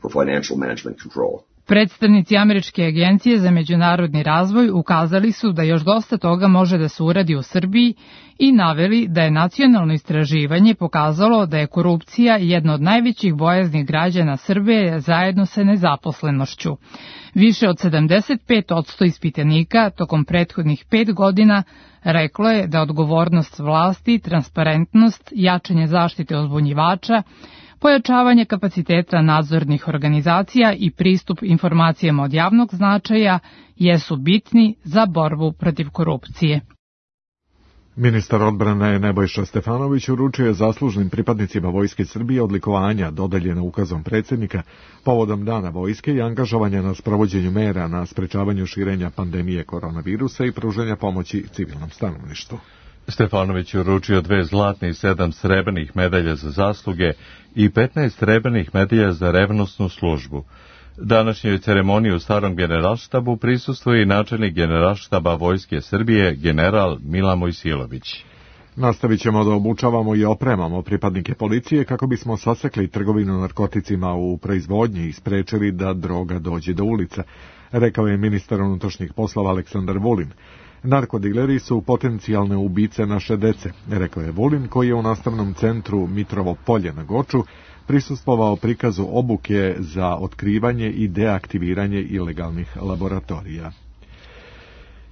Predstavnici Američke agencije za međunarodni razvoj ukazali su da još dosta toga može da se uradi u Srbiji i naveli da je nacionalno istraživanje pokazalo da je korupcija jedna od najvećih bojazni građana Srbije zajedno sa nezaposlenošću. Više od sedamdeset pet posto ispitanika tokom prethodnih pet godina reklo je da odgovornost vlasti, transparentnost, jačanje zaštite uzbunjivača, pojačavanje kapaciteta nadzornih organizacija i pristup informacijama od javnog značaja jesu bitni za borbu protiv korupcije. Ministar odbrane Nebojša Stefanović uručio je zaslužnim pripadnicima Vojske Srbije odlikovanja dodeljena ukazom predsjednika povodom Dana vojske i angažovanja na sprovođenju mera na sprečavanju širenja pandemije koronavirusa i pružanja pomoći civilnom stanovništvu. Stefanović je uručio dve zlatne i sedam srebrnih medalja za zasluge i petnaest srebrnih medalja za revnosnu službu. Današnjoj ceremoniji u starom generalštabu prisustvuje i načelnik generalštaba Vojske Srbije, general Milan Mojsilović. Nastavit ćemo da obučavamo i opremamo pripadnike policije kako bismo sasekli trgovinu narkoticima u proizvodnji i sprečili da droga dođe do ulica, rekao je ministar unutrašnjih poslova Aleksandar Vulin. Narkodileri su potencijalne ubice naše dece, rekao je Vulin, koji je u nastavnom centru Mitrovo polje na Goču prisustvovao prikazu obuke za otkrivanje i deaktiviranje ilegalnih laboratorija.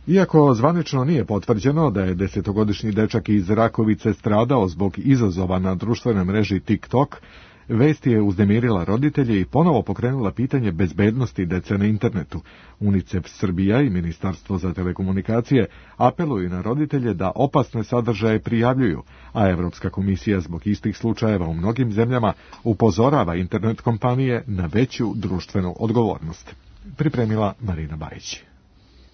Iako zvanično nije potvrđeno da je desetogodišnji dečak iz Rakovice stradao zbog izazova na društvenoj mreži TikTok, vest je uznemirila roditelje i ponovo pokrenula pitanje bezbednosti dece na internetu. UNICEF Srbija i Ministarstvo za telekomunikacije apeluju na roditelje da opasne sadržaje prijavljuju, a Evropska komisija zbog istih slučajeva u mnogim zemljama upozorava internet kompanije na veću društvenu odgovornost. Pripremila Marina Bajić.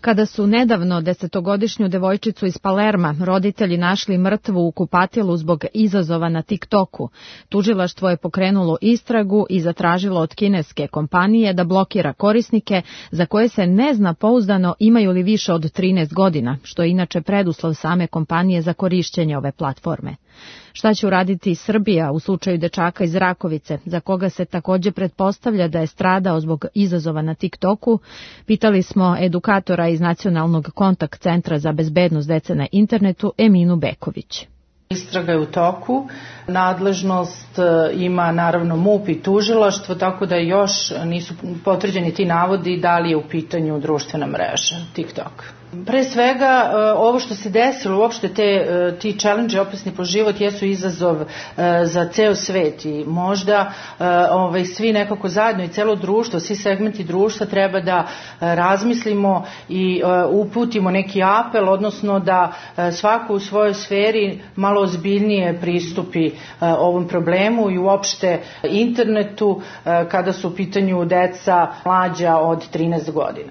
Kada su nedavno desetogodišnju devojčicu iz Palerma roditelji našli mrtvu u kupatilu zbog izazova na TikToku, tužilaštvo je pokrenulo istragu i zatražilo od kineske kompanije da blokira korisnike za koje se ne zna pouzdano imaju li više od trinaest godina, što je inače preduslov same kompanije za korišćenje ove platforme. Šta će uraditi Srbija u slučaju dečaka iz Rakovice, za koga se također pretpostavlja da je stradao zbog izazova na TikToku, pitali smo edukatora iz Nacionalnog kontakt centra za bezbednost dece na internetu Eminu Beković. Istraga je u toku, nadležnost ima naravno MUP i tužilaštvo, tako da još nisu potvrđeni ti navodi da li je u pitanju društvena mreža TikTok. Pre svega, ovo što se desilo, uopšte te, ti challenge opasni po život jesu izazov za ceo svet i možda ovaj, svi nekako zajedno i celo društvo, svi segmenti društva treba da razmislimo i uputimo neki apel, odnosno da svako u svojoj sferi malo ozbiljnije pristupi ovom problemu i uopšte internetu kada su u pitanju deca mlađa od trinaest godina.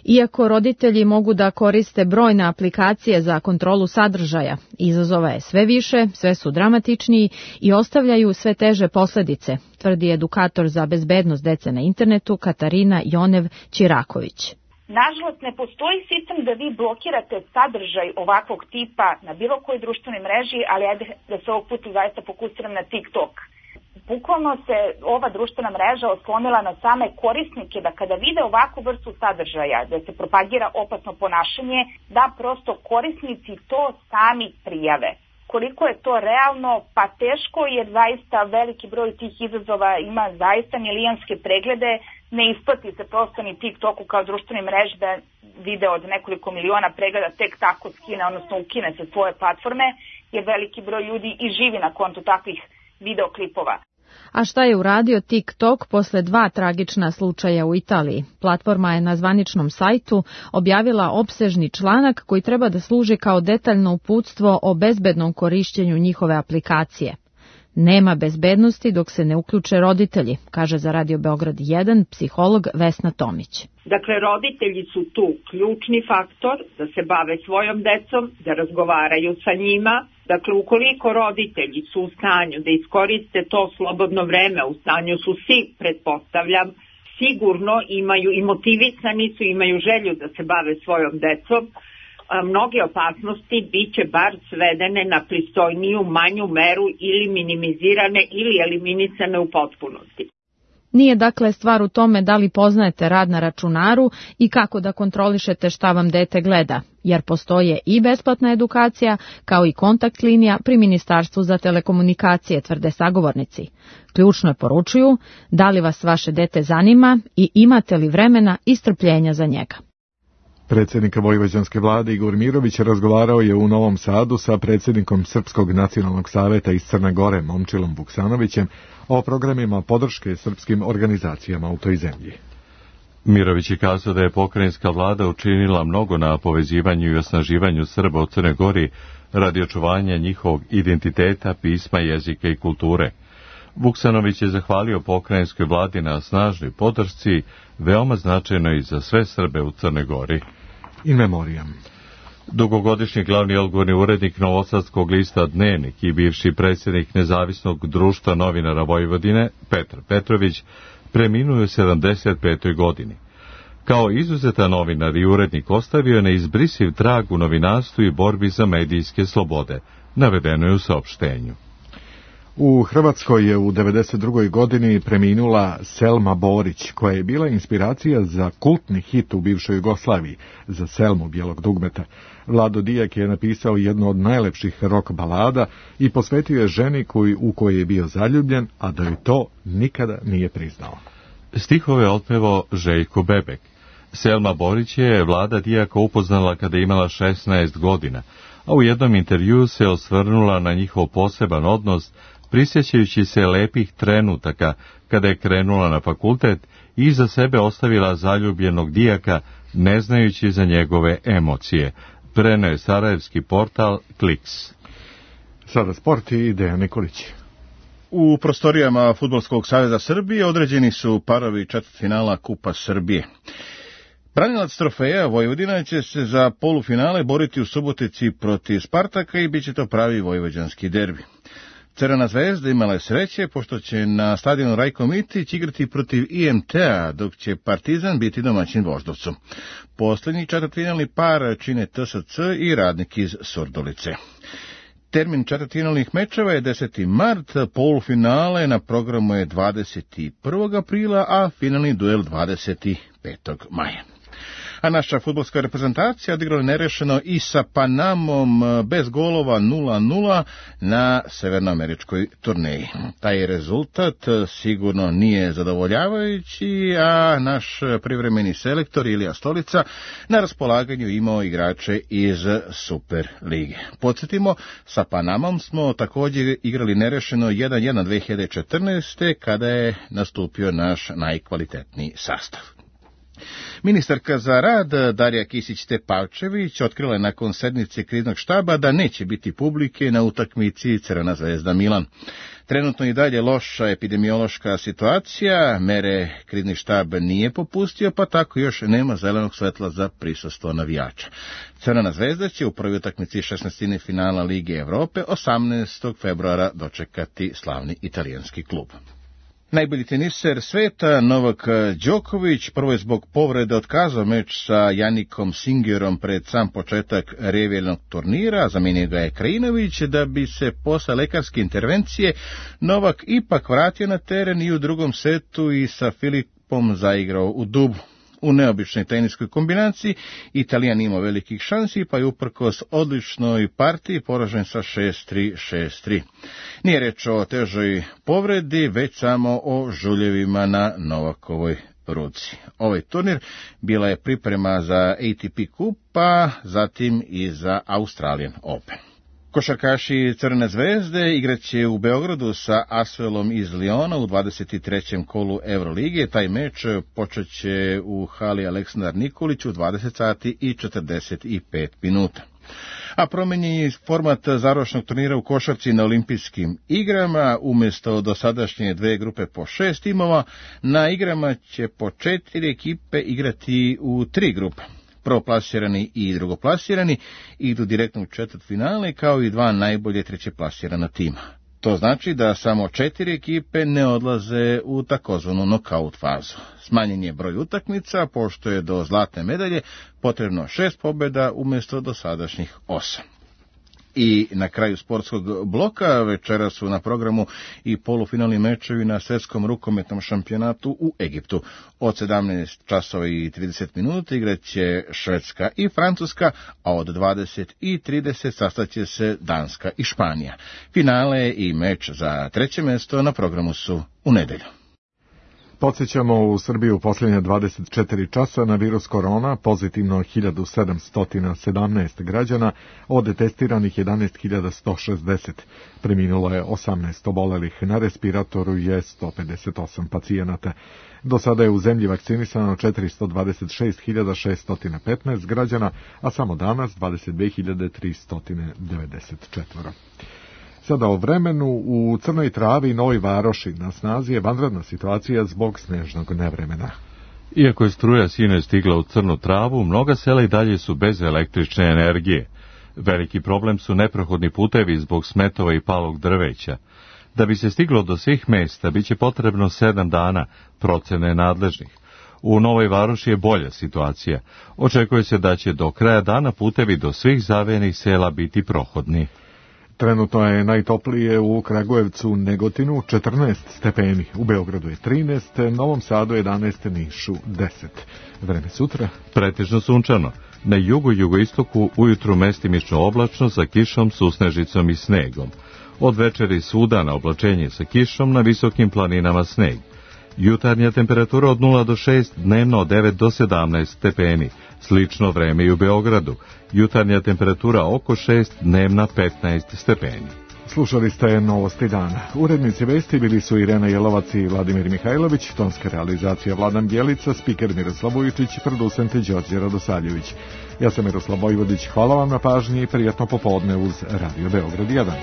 Iako roditelji mogu da koriste brojne aplikacije za kontrolu sadržaja, izazova je sve više, sve su dramatičniji i ostavljaju sve teže posledice, tvrdi edukator za bezbednost dece na internetu Katarina Jonev Čiraković. Nažalost, ne postoji sistem da vi blokirate sadržaj ovakvog tipa na bilo kojoj društvenoj mreži, ali ajde da se ovog puta zaista fokusiram na TikTok. Bukvalno se ova društvena mreža oslonila na same korisnike da kada vide ovakvu vrstu sadržaja, da se propagira opasno ponašanje, da prosto korisnici to sami prijave. Koliko je to realno? Pa teško, jer zaista veliki broj tih izazova ima zaista milijonske preglede, ne isplati se prosto ni TikToku kao društvenoj mreži da video od nekoliko miliona pregleda tek tako skine, odnosno ukine se svoje platforme, jer veliki broj ljudi i živi na kontu takvih videoklipova. A šta je uradio TikTok posle dva tragična slučaja u Italiji? Platforma je na zvaničnom sajtu objavila opsežni članak koji treba da služi kao detaljno uputstvo o bezbednom korišćenju njihove aplikacije. Nema bezbednosti dok se ne uključe roditelji, kaže za Radio Beograd jedan psiholog Vesna Tomić. Dakle, roditelji su tu ključni faktor da se bave svojom decom, da razgovaraju sa njima. Dakle, ukoliko roditelji su u stanju da iskoriste to slobodno vreme, u stanju su svi, pretpostavljam, sigurno imaju i motivisani su, imaju želju da se bave svojom decom, mnoge opasnosti bit će bar svedene na pristojniju, manju meru ili minimizirane ili eliminisane u potpunosti. Nije dakle stvar u tome da li poznajete rad na računaru i kako da kontrolišete šta vam dete gleda, jer postoje i besplatna edukacija kao i kontakt linija pri Ministarstvu za telekomunikacije, tvrde sagovornici. Ključno je, poručuju, da li vas vaše dete zanima i imate li vremena i strpljenja za njega. Predsjednik vojvođanske vlade Igor Mirović razgovarao je u Novom Sadu sa predsjednikom Srpskog nacionalnog saveta iz Crne Gore Momčilom Vuksanovićem o programima podrške srpskim organizacijama u toj zemlji. Mirović je kazao da je pokrajinska vlada učinila mnogo na povezivanju i osnaživanju Srba u Crnoj Gori radi očuvanja njihovog identiteta, pisma, jezika i kulture. Vuksanović je zahvalio pokrajinskoj vladi na snažnoj podršci, veoma značajno i za sve Srbe u Crnoj Gori. In memoriam. Dugogodišnji glavni odgovorni urednik Novosadskog lista Dnevnik i bivši predsjednik Nezavisnog društva novinara Vojvodine, Petar Petrović, preminuo je u sedamdeset petoj godini. Kao izuzetan novinar i urednik ostavio je neizbrisiv trag u novinarstvu i borbi za medijske slobode, navedeno je u saopštenju. U Hrvatskoj je u devedeset drugoj godini preminula Selma Borić, koja je bila inspiracija za kultni hit u bivšoj Jugoslaviji, za Selmu bijelog dugmeta. Vlado Dijak je napisao jednu od najlepših rock balada i posvetio je ženi koji, u kojoj je bio zaljubljen, a da joj to nikada nije priznao. Stihove otpevao Željko Bebek. Selma Borić je Vlada Dijaka upoznala kada je imala šesnaest godina, a u jednom intervjuu se osvrnula na njihov poseban odnos, prisjećajući se lepih trenutaka kada je krenula na fakultet i iza sebe ostavila zaljubljenog Dijaka, ne znajući za njegove emocije. Preneo je sarajevski portal Kliks. Sada sport i Dejan Nikolić. U prostorijama Fudbalskog saveza Srbije određeni su parovi četvrtfinala Kupa Srbije. Branilac trofeja Vojvodina će se za polufinale boriti u Subotici protiv Spartaka i bit će to pravi vojvođanski derbi. Crvena zvezda imala je sreće, pošto će na stadionu Rajko Mitić igrati protiv I M T-a, dok će Partizan biti domaćin Voždovcu. Posljednji četvrtfinalni par čine T S C i Radnik iz Surdulice. Termin četvrtfinalnih mečeva je deseti mart, polufinale na programu je dvadeset prvog aprila, a finalni duel dvadeset petog maja. A naša fudbalska reprezentacija odigrala nerešeno i sa Panamom bez golova nula nula na severnoameričkoj turneji. Taj rezultat sigurno nije zadovoljavajući, a naš privremeni selektor Ilija Stolica na raspolaganju imao igrače iz Super lige. Podsjetimo, sa Panamom smo također igrali nerešeno jedan jedan dve hiljade četrnaeste. kada je nastupio naš najkvalitetniji sastav. Ministarka za rad Darija Kisić-Tepavčević otkrila je nakon sednice kriznog štaba da neće biti publike na utakmici Crvena zvezda Milan. Trenutno i dalje loša epidemiološka situacija, mere krizni štab nije popustio, pa tako još nema zelenog svetla za prisustvo navijača. Crvena zvezda će u prvoj utakmici šesnaestine finala Lige Evrope osamnaestog februara dočekati slavni italijanski klub. Najbolji teniser sveta Novak Đoković prvo je zbog povrede otkazao meč sa Janikom Singerom pred sam početak revijalnog turnira, zamijenio ga je Krajinović, da bi se posle lekarske intervencije Novak ipak vratio na teren i u drugom setu i sa Filipom zaigrao u dublu. U neobičnoj teniskoj kombinaciji Italijan imao velikih šansi, pa je uprkos odličnoj partiji poražen sa šest tri šest tri. Nije reč o težoj povredi, već samo o žuljevima na Novakovoj ruci. Ovaj turnir bila je priprema za A T P kup, pa zatim i za Australian Open. Košarkaši Crvene zvezde igraće u Beogradu sa Asvelom iz Liona u dvadeset trećem kolu Evrolige. Taj meč počeće u hali Aleksandar Nikolić u dvadeset sati i četrdeset pet minuta. A promenjen je format završnog turnira u košarci na olimpijskim igrama. Umjesto dosadašnje dve grupe po šest timova, na igrama će po četiri ekipe igrati u tri grupe. Prvoplasirani i drugoplasirani idu direktno u četvrtfinale, kao i dva najbolje trećeplasirana tima. To znači da samo četiri ekipe ne odlaze u takozvanu nokaut fazu. Smanjen je broj utakmica, pošto je do zlatne medalje potrebno šest pobjeda umjesto dosadašnjih osam. I na kraju sportskog bloka večera su na programu i polufinalni mečevi na svjetskom rukometnom šampionatu u Egiptu. Od sedamnaest časova i trideset minuta igraće Švedska i Francuska, a od dvadeset i trideset sastaće se Danska i Španija. Finale i meč za treće mjesto na programu su u nedelju. Podsjećamo, u Srbiji u posljednje dvadeset četiri časa na virus korona pozitivno hiljadu sedamsto sedamnaest građana, od testiranih jedanaest hiljada sto šezdeset. Preminulo je osamnaest obolelih, na respiratoru je sto pedeset osam pacijenata. Do sada je u zemlji vakcinisano četiristo dvadeset šest hiljada šeststo petnaest građana, a samo danas dvadeset dve hiljade tristo devedeset četiri. Sada o vremenu. U Crnoj Travi i Novoj Varoši na snazi je vanredna situacija zbog snežnog nevremena. Iako je struja sinoć stigla u Crnu Travu, mnoga sela i dalje su bez električne energije. Veliki problem su neprohodni putevi zbog smetova i palog drveća. Da bi se stiglo do svih mesta, bit će potrebno sedam dana, procene nadležnih. U Novoj Varoši je bolja situacija. Očekuje se da će do kraja dana putevi do svih zavejenih sela biti prohodni. Trenutno je najtoplije u Kragujevcu, Negotinu četrnaest stepeni, u Beogradu je trinaest, Novom Sadu jedanaest, Nišu deset. Vreme sutra? Pretežno sunčano. Na jugu i jugoistoku ujutru mestimično oblačno sa kišom, susnežicom i snegom. Od večeri svuda na oblačenje sa kišom, na visokim planinama sneg. Jutarnja temperatura od nula do šest, dnevno od devet do sedamnaest stepeni. Slično vreme i u Beogradu. Jutarnja temperatura oko šest, dnevna petnaest stepeni. Slušali ste Novosti dana. Urednici vesti bili su Irena Jelovac i Vladimir Mihajlović, tonska realizacija Vladan Bjelica, spiker Miroslav Vujičić, producent Đorđe Radosaljević. Ja sam Miroslav Vojvodić, hvala vam na pažnji i prijatno popodne uz Radio Beograd jedan.